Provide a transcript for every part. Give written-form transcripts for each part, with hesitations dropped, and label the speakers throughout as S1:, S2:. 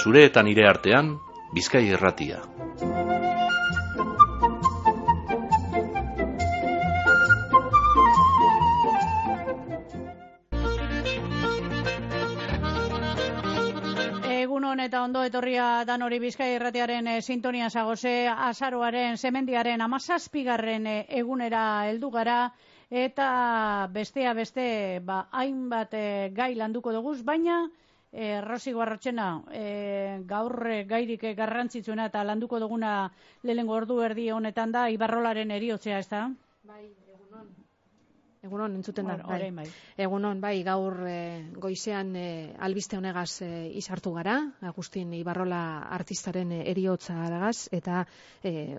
S1: zure eta nire artean, Bizkai Irratia.
S2: Egunon eta ondo etorria danori Bizkai Irratiaren sintonia zagoze, azaroaren, semendiaren 17. Egunera heldu gara, eta bestea beste hainbat gai landuko duguz, baina Rosi Guarrotxena, gaur gairik garrantzitsuena eta landuko duguna lehenengo ordu erdi honetan da Ibarrolaren heriotzea, ez da?
S3: Bai, egunon entzuten da.
S2: Bai.
S3: Egunon, bai, gaur goizean albiste honegaz izartu gara, Agustin Ibarrola artistaren heriotza dagaz, eta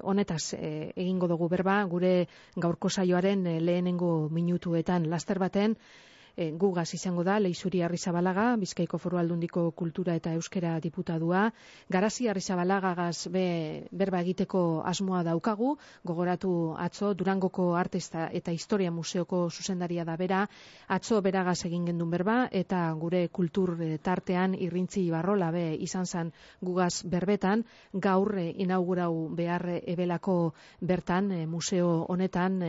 S3: honetaz egingo dugu berba, gure gaurko saioaren lehenengo minutuetan laster baten, gugaz izango da, Leixuri Arrizabalaga, Bizkaiko Foru Aldundiko Kultura eta Euskera diputadua, Garazi Arrizabalagagaz berba egiteko asmoa daukagu, gogoratu atzo Durangoko Arte eta Historia Museoko zuzendaria da bera, atzo beragaz egin gendun berba, eta gure kultur tartean Irrintzi Ibarrola izan zan gugaz berbetan, gaur inaugurau behar ebelako bertan, museo honetan,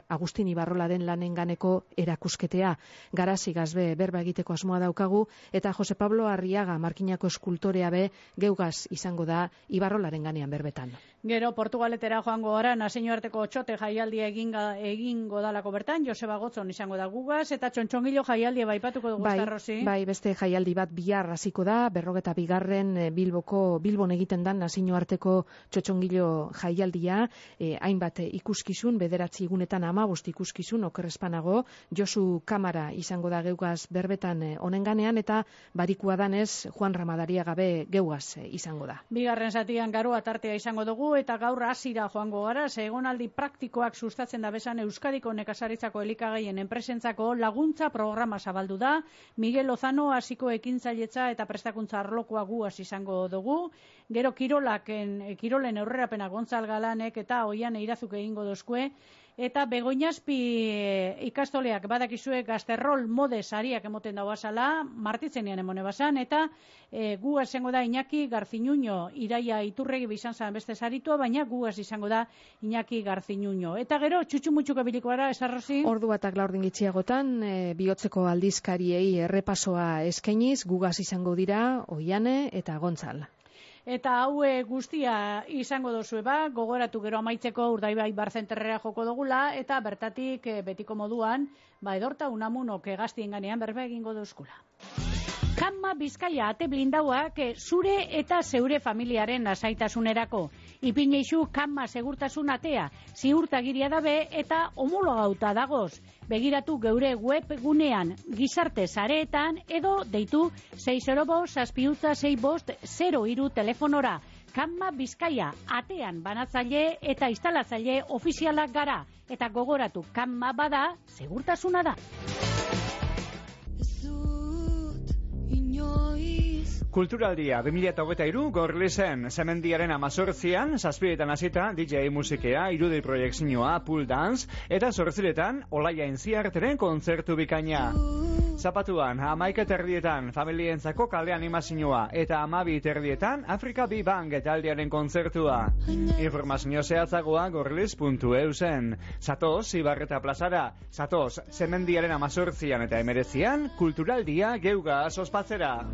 S3: Agustin Ibarrolaren lanenganeko erakusketea. Garazi gazbe berba egiteko asmoa daukagu, eta Jose Pablo Arriaga markinako eskultorea geugaz izango da Ibarrolaren ganean berbetan.
S2: Gero Portugaletera joango gara, nazioarteko txote jaialdia egingo dalako bertan, Joseba Gotzon izango da gugaz, eta txontxongilo jaialdia baipatuko dugu, Rosi?
S3: Bai, beste jaialdi bat bihar hasiko da, 42. Bilbon egiten dan nazioarteko txotxongilo jaialdia, hainbat ikuskizun, 9 egunetan 15 ikuskizun, okerrespanago, Josu Kamara izango da geugaz berbetan honen ganean, eta barikua danez Juan Ramadaria gabe geugaz izango da.
S2: Bigarren zatian garoa tartea izango dugu, eta gaur hasira joango gara, egonaldi praktikoak sustatzen da bezan Euskadiko nekazaritzako elikagaien enpresentzako laguntza programa zabaldu da. Miguel Lozano hasiko ekintzailetza eta prestakuntza arlokoa guaz izango dugu. Gero kirolen aurrerapena Gontzal Galanek eta Oian Eirazuk egingo dozkue. Eta Begoñazpi ikastoleak badakizue Gazterrol mode sariak emoten dagoa zala, martitzenean emone basan, eta guaz izango da Iñaki Garzinuño, Iraia Iturregi bizan zan beste saritua, baina guaz izango da Iñaki Garzinuño. Eta gero, txutxumutxuko biliko gara, esarrozi?
S3: Ordu batak laurdin gitxiagotan, bihotzeko aldizkariei errepasoa eskainiz, gugaz izango dira Oiane eta Gontzal.
S2: Eta hau guztia izango dozue gogoratu gero amaitzeko Urdaibai barzenterrera joko dugula, eta bertatik betiko moduan, edorta Unamunok gaztien ganean berba egingo duzkula. Kanma Bizkaia ate blindauak zure eta zeure familiaren lasaitasunerako. Ipineixu Kanma segurtasun atea, ziurtagiria dabe eta homologauta dagoz. Begiratu geure webgunean, gizarte sareetan edo deitu 605-665-03 telefonora. Kanma Bizkaia atean banatzaile eta instalatzaile ofizialak gara. Eta gogoratu, Kanma bada, segurtasuna da.
S4: Kulturaldia 2023 Gorlizen Semendiaren 18an, 7etan hasita DJ musikea, irudi proiekzioa, pool dance, eta 8etan Olaia Intziarteren kontzertu bikaina. Zapatuan 11:30 familientzako kale animazioa, eta 12:30 Afrika Bibang taldearen kontzertua. Informazio zehatzagoa gorliz.eu zen. Zatoz Ibarreta plazara, zatoz Semendiaren 18an eta 19an Kulturaldia geugaz ospatzera.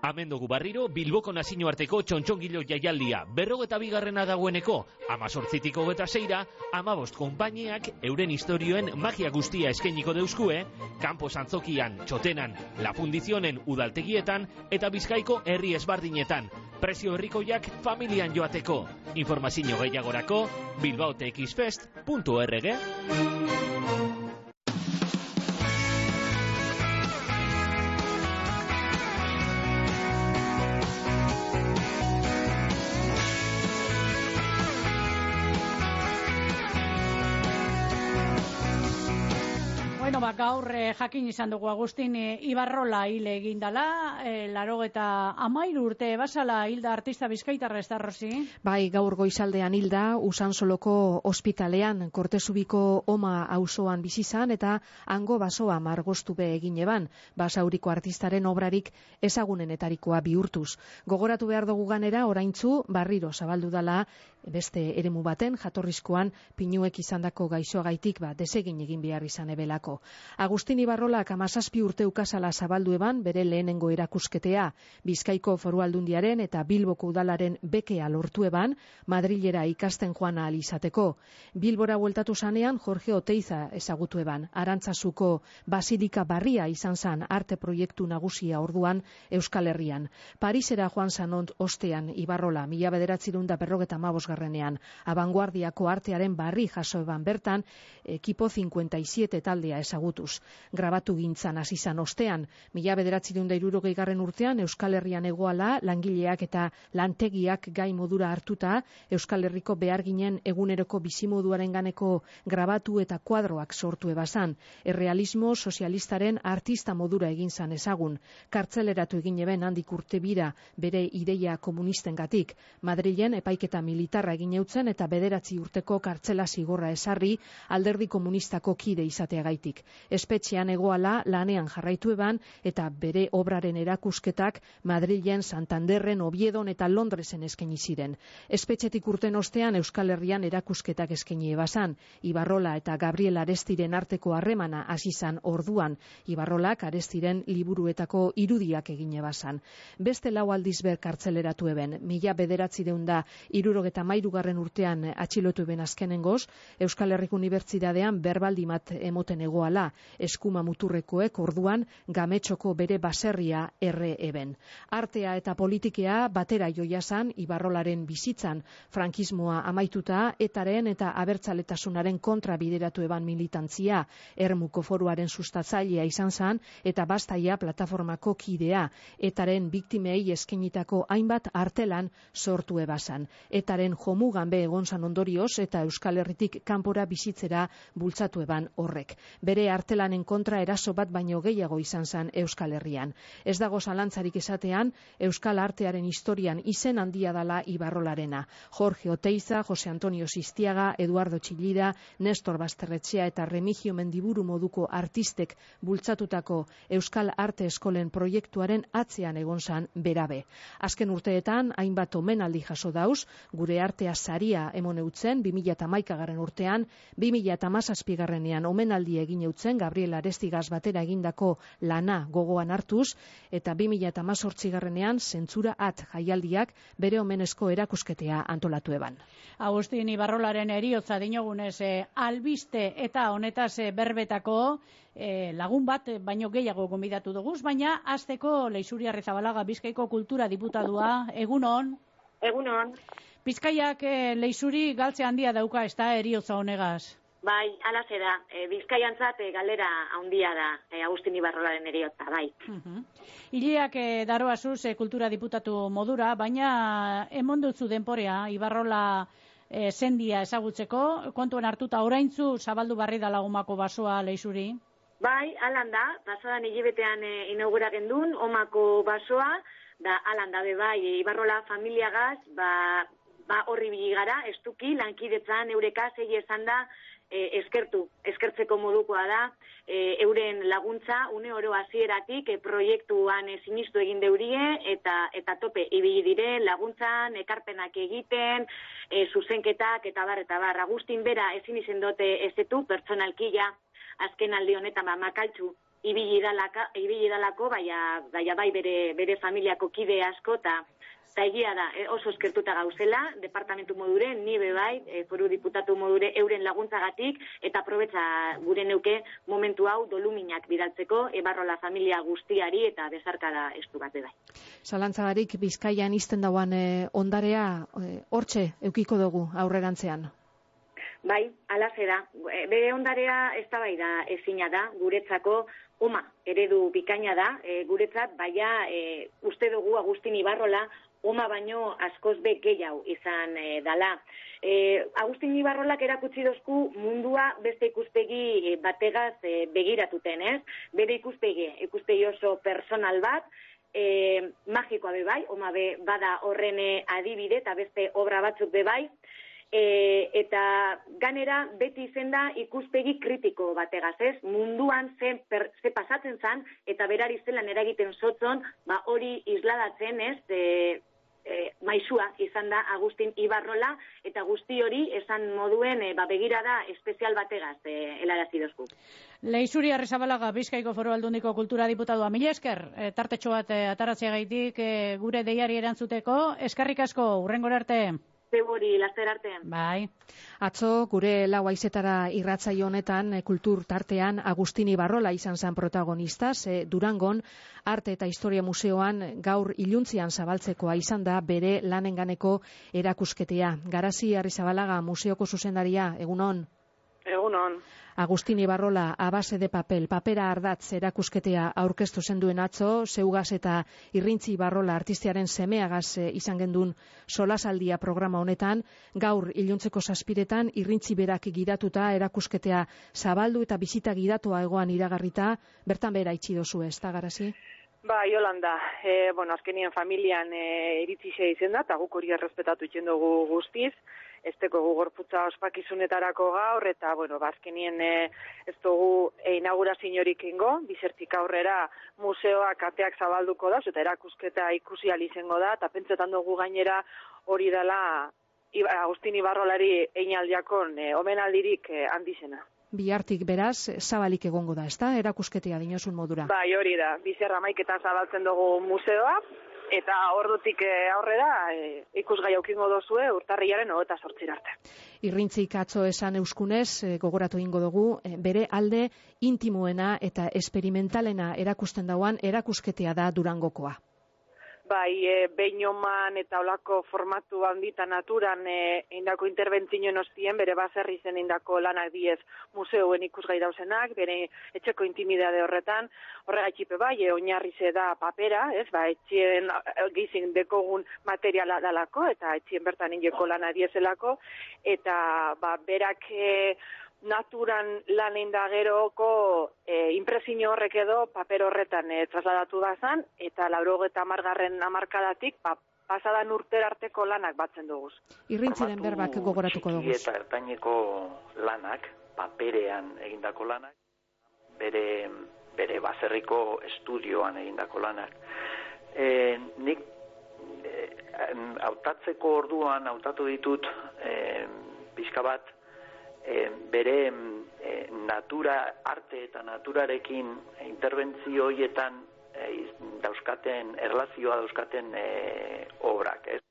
S5: Hemen dugu barriro Bilboko nazioarteko txontxongilo jaialdia 42. dagoeneko, 18tik 26ra, 15 konpainiak euren historioen magia guztia eskainiko deuskue, kanpo antzokian, txotenan, La Fundizionen udaltegietan eta Bizkaiko herri ezbardinetan. Prezio herrikoiak familian joateko. Informazio gehiagorako bilbaotexfest.org.
S2: Bueno, gaur jakin izan dugu Agustin Ibarrola hil egin dela, 93 urte basala hilda artista bizkaitarra, ez da, Rosi?
S3: Bai, gaur goizaldean hilda, Usansoloko ospitalean, Kortezubiko Oma auzoan bizi izan eta hango basoa margostu be egin eban, basauriko artistaren obrarik ezagunenetarikoa bihurtuz. Gogoratu behar dugu ganera, oraintzu barriro zabaldu dala beste eremu baten, jatorrizkoan pinuek izandako gaixoagaitik desegin egin behar izan ebelako. Agustin Ibarrolak 17 urte ukazala zabaldu eban bere lehenengo erakusketea, Bizkaiko Foru Aldundiaren eta Bilboko Udalaren bekea lortu eban, Madrilera ikasten joan ahal izateko. Bilbora bueltatu zanean Jorge Oteiza ezagutu eban, Arantzazuko Basilika Barria izan zan arte proiektu nagusia orduan Euskal Herrian. Parisera joan zanont ostean Ibarrola, 1955ean, abanguardiako artearen barri jaso eban bertan, ekipo 57 taldea ezagutuz. Grabatu gintzan hasi zan ostean, 1960 urtean Euskal Herrian egoala langileak eta lantegiak gai modura hartuta, Euskal Herriko beharginen eguneroko bizimoduaren ganeko grabatu eta kuadroak sortu ebazan. Errealismo sozialistaren artista modura egin zan ezagun. Kartzeleratu egin eben handik urte bira bere ideia komunistengatik. Madrilen epaiketa militarra egin eutzen eta 9 urteko kartzela zigorra esarri alderdi komunistako kide izateagaitik. Espetxean egoala lanean jarraitu eban eta bere obraren erakusketak Madrilen, Santanderren, Oviedon eta Londresen eskaini ziren. Espetxetik urten ostean Euskal Herrian erakusketak eskaini ebazan. Ibarrola eta Gabriel Arestiren arteko harremana hasi zan orduan. Ibarrolak Arestiren liburuetako irudiak egin ebazan. Beste 4 aldiz ber kartzeleratu eben. 1973 urtean atxilotu eben azkenengoz, Euskal Herriko Unibertsitatean berbaldi mat emoten egoala, eskuma muturrekoek orduan Gametxoko bere baserria erre eben. Artea eta politikea batera joiazan Ibarrolaren bizitzan, frankismoa amaituta, etaren eta abertzaletasunaren kontra bideratu eban militantzia, Ermuko Foruaren sustatzailea izan zan eta Bastaia plataformako kidea, etaren biktimei eskenitako hainbat artelan sortu ebazan. Etaren jomugan be egon zan ondorioz eta Euskal Herritik kanpora bizitzera bultzatu eban horrek. Bere artelanen kontra eraso bat baino gehiago izan zan Euskal Herrian. Ez dago zalantzarik esatean, Euskal artearen historian izen handia dala Ibarrolarena. Jorge Oteiza, Jose Antonio Sistiaga, Eduardo Txillida, Nestor Basterretxea eta Remigio Mendiburu moduko artistek bultzatutako Euskal Arte Eskolen proiektuaren atzean egon zan berabe. Azken urteetan, hainbat omenaldi jaso dauz, gure artea saria emon eutzen 2011 urtean, 2017ean omenaldi egin eutzen Gabriel Arestigaz batera egindako lana gogoan hartuz, eta 2018ean zentzura jaialdiak bere omenezko erakusketea antolatu eban.
S2: Agustin Ibarrolaren eriotza dinogunez albiste eta honetaz berbetako lagun bat baino gehiago gonbidatu dugu, baina hasteko Leixuri Arrizabalaga Bizkaiko kultura diputadua, egunon?
S6: Egunon.
S2: Bizkaiak Leixuri galtze handia dauka, ez da, eriotza honegaz?
S6: Bai, alaze da. Bizkaiantzat galera handia da Agustin Ibarrolaren eriotza, bai.
S2: Hileak daroazuz kultura diputatu modura, baina emon dutzu denporea Ibarrola zendia ezagutzeko, kontuan hartuta oraintzu zabaldu barri da Lagumako basoa Leixuri?
S6: Bai, alan da, pasadan hilebetean inaugura gendun, Omako basoa, da alan da bai, Ibarrola familiagaz, horri biligara, estuki, lankidetzan, eurekaz, egi esan da, eskertzeko modukoa da, euren laguntza, une oro hasieratik proiektuan sinistu egin deurie, eta tope, ibili dire, laguntzan, ekarpenak egiten, zuzenketak, eta bar. Agustin bera ezin izen dote ezetu, pertsonalkia, azken aldi honetan makaltzu, ibili dalako, bai bere familiako kide asko, eta egia da, oso eskertuta gauzela, departamentu modure, nibe bai, foru diputatu modure euren laguntzagatik, eta aprobetza gure neuke momentu hau doluminak bidaltzeko, Ibarrola familia guztiari eta bezarkada estu bat bai.
S3: Zalantzagarik Bizkaian izten dauan ondarea hortxe eukiko dugu aurrerantzean.
S6: Bai, alaze da. Bere ondarea ez da bai da ezina da, guretzako Oma eredu bikaina da, guretzat, baina uste dugu Agustin Ibarrola oma baino askoz be gehiago izan dala. Agustin Ibarrolak erakutsi dozku mundua beste ikuspegi bategaz begiratuten, ez? Bere ikuspegi oso personal bat, magikoa bebai, oma be bada horren adibide eta beste obra batzuk bebai, eta ganera beti izen da ikuspegi kritiko bategaz, ez? Munduan ze pasatzen zan, eta berari zelan eragiten zotzon, hori isladatzen, ez? Maisua izan da Agustin Ibarrola, eta guzti hori esan moduen begirada espezial bategaz helarazi dozku.
S2: Leixuri Arrizabalaga, Bizkaiko Foru Aldundiko Kultura Diputadua. Mila esker, tartetxo bat ataratzeagaitik gure deiari erantzuteko. Eskerrik asko, hurrengora arte.
S6: Zebori, laster artean.
S3: Bai. Atzo, gure lau haizetara irratsaio honetan, kultur tartean, Agustin Ibarrola izan zen protagonistaz. Durangon, Arte eta Historia Museoan gaur iluntzian zabaltzekoa izan da bere lanenganeko erakusketea. Garazi Arrizabalaga, museoko zuzendaria, egunon?
S7: Egunon.
S3: Agustin Ibarrola, A base de papel, papera ardatz erakusketea aurkeztu zenduen atzo, zeugaz eta Irrintzi Ibarrola artistiaren semeagaz izan gendun solasaldia programa honetan, gaur iluntzeko 7:00 Irrintzi berak gidatuta erakusketea zabaldu eta bizita gidatua egoan iragarrita, bertan bera itxi dozu, ez da, Garazi?
S7: Yolanda, azkenien familian iritsi izen da, eta guk hori errespetatu itzen dugu guztiz, ez teko gorputza ospakizunetarako gaur, eta, azkenien ez dugu inauguraziorik ingo, bizertik aurrera museoak ateak zabalduko da, eta erakusketa ikusi izango da, eta pentsetan dugu gainera hori dela Agustin Ibarrolari einaldiakon omenaldirik handizena.
S3: Bihartik beraz, zabalik egongo da, ezta? Erakusketea dinosun modura.
S7: Hori da. Bizerra maiketan zabaltzen dugu museoa, eta ordutik aurrera ikusgai aukingo dozue urtarrilaren 28 arte.
S3: Irrintzik atzo esan euskunez, gogoratu ingo dugu, bere alde intimoena eta esperimentalena erakusten dauan erakusketea da Durangokoa.
S7: Beinoman eta olako formatu handita naturan indako interbentzioen ostien, bere baserri zen indako lanak diez museoen ikusgai dauzenak, bere etxeko intimidade horretan, horregatxipe oinarrize da papera, etxien gizin dekogun materiala dalako, eta etxien bertan indeko lana diezelako, eta berak naturan lan indageroko impresio horrek edo paper horretan trasladatu da zan, eta 80. hamarkadatik pasadan urtera arteko lanak batzen duguz.
S3: Irrintziren berbak gogoratuko dugu.
S8: Eta ertaineko lanak, paperean egindako lanak, bere baserriko estudioan egindako lanak. Nik hautatzeko orduan hautatu ditut pixka bat bere natura, arte eta naturarekin interbentzio horietan dauzkaten, erlazioa dauzkaten obrak, ez?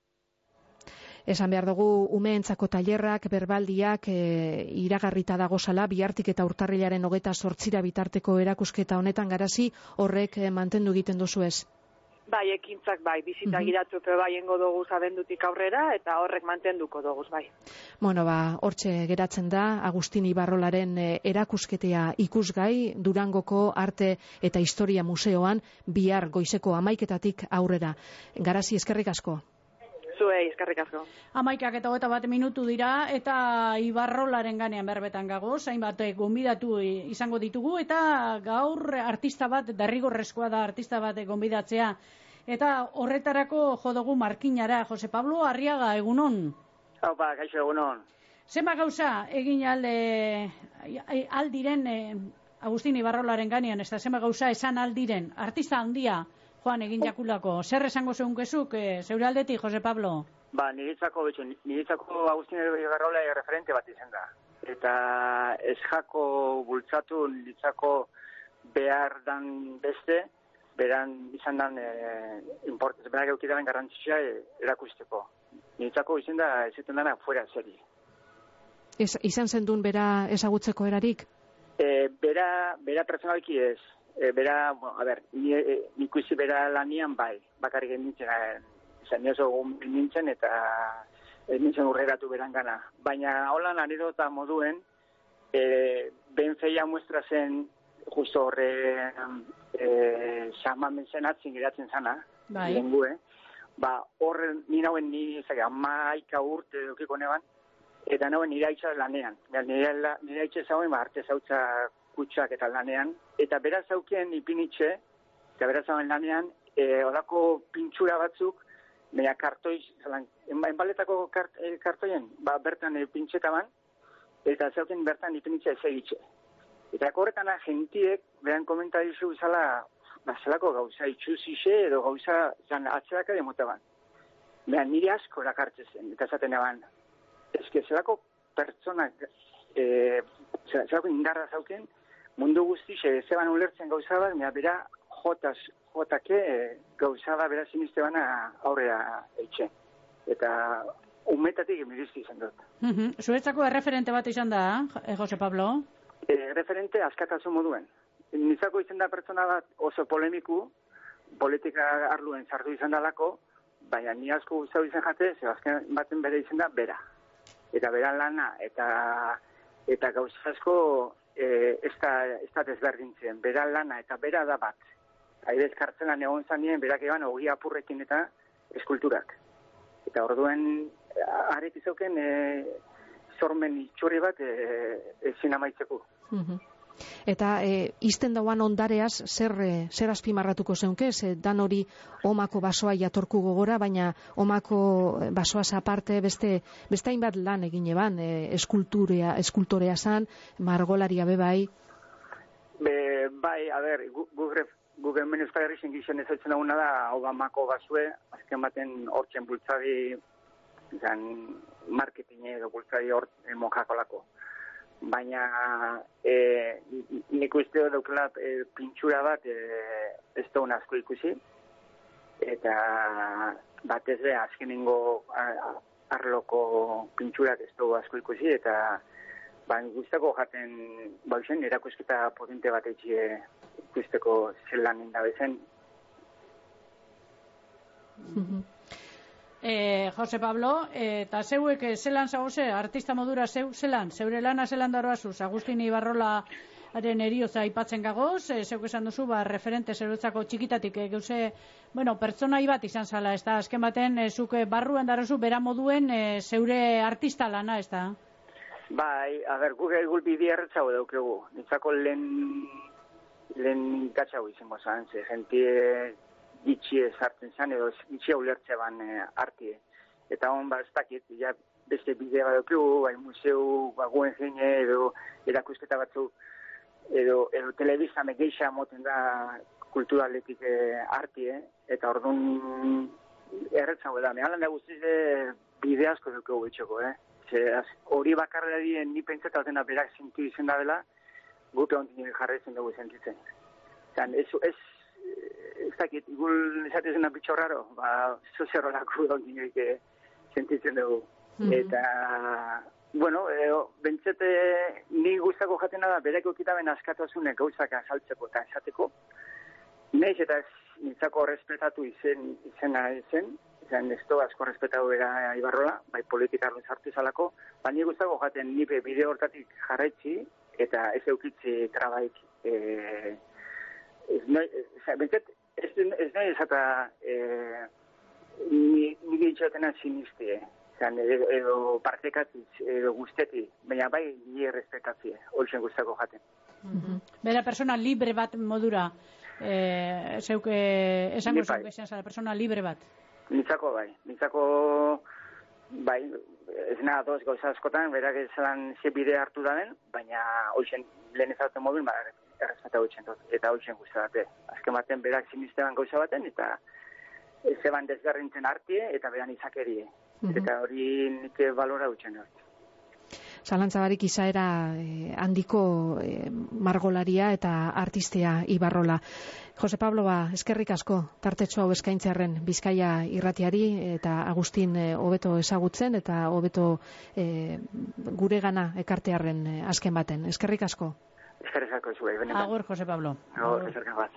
S3: Esan behar dugu, umeentzako tailerrak, berbaldiak iragarrita dagozala, bihartik eta urtarrilaren 28 bitarteko erakusketa honetan, Garazi, horrek mantendu egiten duzu ez?
S7: Ekintzak bizita gidatupe engo dugu abendutik aurrera, eta horrek mantenduko dugu,
S3: hortxe geratzen da, Agustin Ibarrolaren erakusketea ikusgai, Durangoko Arte eta Historia Museoan, bihar goizeko 11:00 aurrera. Garazi, eskerrik asko.
S7: Zuei, eskerrik asko.
S2: 11:21 minutu dira, eta Ibarrolaren ganean berbetan gago, hainbat gonbidatu izango ditugu, eta gaur artista bat, derrigorrezkoa da artista bat gonbidatzea, eta horretarako jodugu markinara. Jose Pablo Arriaga, egunon?
S9: Kaixo, egunon.
S2: Zenba gauza egin aldiren Agustin Ibarrolaren ganean, ez da zenba gauza esan aldiren, artista handia joan egin jakulako. Zer esango zeunkezuk, zeure aldetik, Jose Pablo?
S9: Niretzako Agustin Ibarrola referente bat izan da. Eta ez jako bultzatu niretzako behar dan beste, beran izan dan importantz, berak eukidaren garrantzia erakusteko. Niretzako izan da ezaten dana fuera seri.
S3: Izan zendun bera ezagutzeko erarik?
S9: Bera personalki ez. Nik uzi bera lanian bakarrik nintzen, izan oso nintzen eta nintzen urreratu berangana. Baina holan anedota moduen, ben feia muestra zen, justo horre xamamen zen atzin geratzen zana, lengue. horren ni amaika urte edukiko neban, eta nauen nire haitxaz lanean. Nire haitxe zauen, arte zautza kutsak eta lanean, eta beraz zaukien ipinitxe, eta beraz zauen lanean, odako pintxura batzuk, meia kartoiz, enbaletako kartoien, bertan pintxetaban, eta zaukien bertan ipinitxe ez egitxe. Eta horretan gentiek, beran komentarizu zala, zelako gauza itxuzixe edo gauza atzerak ere motaban. Beran nire asko erakartzen zen, eta zaten eban, zelako pertsonak, zelako indarra zauken, mundu guztixe zeban ulertzen gauza bat, bera jotake gauza bat bera siniste bana aurrera eitxe. Eta umetatik emirizti izan dut.
S2: Zuretzako erreferente bat izan da, Jose Pablo?
S9: Referente askatasun moduen. Nizako izan da pertsona bat oso polemiku, politika arluen sartu izan dalako, baina ni asko guztau izan jate, azken baten bere izan da bera. Eta bera lana, eta gauza asko ez da desberdintzen. Bera lana eta bera da bat. Aidez kartzelan egon zanien, berak eban ogi apurrekin eta eskulturak. Eta orduen, arek izauken sormen itxurri bat ezin amaitzeko.
S3: Eta izten dauan ondareaz, zer azpimarratuko zeunke, dan hori omako basoa jatorku gogora, baina omako basoaz aparte beste hainbat lan egin eban, eskultorea zan, margolaria bebai.
S9: Bai, a ber, guk hemen Euskal Herri zingizien ezautzen duguna da Obamako basue, azken baten hortzen bultzadi, marketing edo bultzadi hor monjakolako. Baina nik uste daukela pintxura bat ez da asko ikusi, eta batez be azkenengo arloko pintxurak ez da asko ikusi, eta guztako jaten bauzen erakusketa potente bat etxe ikusteko zelan indabezen.
S2: Jose Pablo, eta zeuek zelan zagoze, artista modura zeure lana zelan daroazuz, Agustin Ibarrolaren eriotza aipatzen gagoz, zeuk esan duzu, referente zerutzako txikitatik, geuse, pertsonai bat izan zala, ez da, azken baten, zuk barruan darozu, bera moduen zeure artista lana, ez da?
S9: Bai, guk egul bide erretzau daukegu, nintzako lehen gatxau izango zan, jentie gitxie sartzen zan, edo gitxie ulertze ban artie. Eta hon, ez dakit, beste bidea bat daukegu, museu, guen jene, edo erakusketa batzu, edo telebizame geixa moten da kulturaletik artie, eta orduan erretzau da. Mehalan da guztiz bide asko daukegu bitxoko, hori bakarra dien ni pentsatu batena berak zintu izen da dela, gupe ontin jarretzen dugu sentitzen. Ez dakit, igul esatezena bitxo raro, sozerolako ontin sentitzen dugu. Eta, bentsete ni guztako jatena da, berak okitaben askatasunek gauzak azaltzeko eta esateko. Neiz eta nintzako respetatu izena zen, ez du asko respetatu era Ibarrola, bai politikarren sartu izalako, baina guztako jaten nipe bideo hortatik jarraitzi eta ez eukitzi trabaik. Ez nahi esata nire itxotena sinistie, edo partekatitz, edo guzteti, baina bai nire respetatzie, holtzen guztako jaten.
S2: Bera persona libre bat modura, esango zeuke esan zara, persona libre bat.
S9: Nintzako bai, ez nahi adoz gauza askotan, berak esan ze bidea hartu daben, baina holtzen lehen ezauten mobil, errespeta holtzen dut, eta holtzen guztatate. Azken baten berak sinistean gauza baten, eta zeban desgarrintzen artie, eta beran izakerie. Eta hori nik balora holtzen dut.
S3: Zalantzabarik izaera handiko margolaria eta artistea Ibarrola. Jose Pablo, eskerrik asko tartetxo hau eskaintzearren Bizkaia irratiari eta Agustin hobeto ezagutzen eta hobeto guregana ekartearren azken baten. Eskerrik asko.
S9: Eskerrik asko zuei, benetan.
S2: Agur, Jose Pablo.
S9: Agur, eskerrik bat.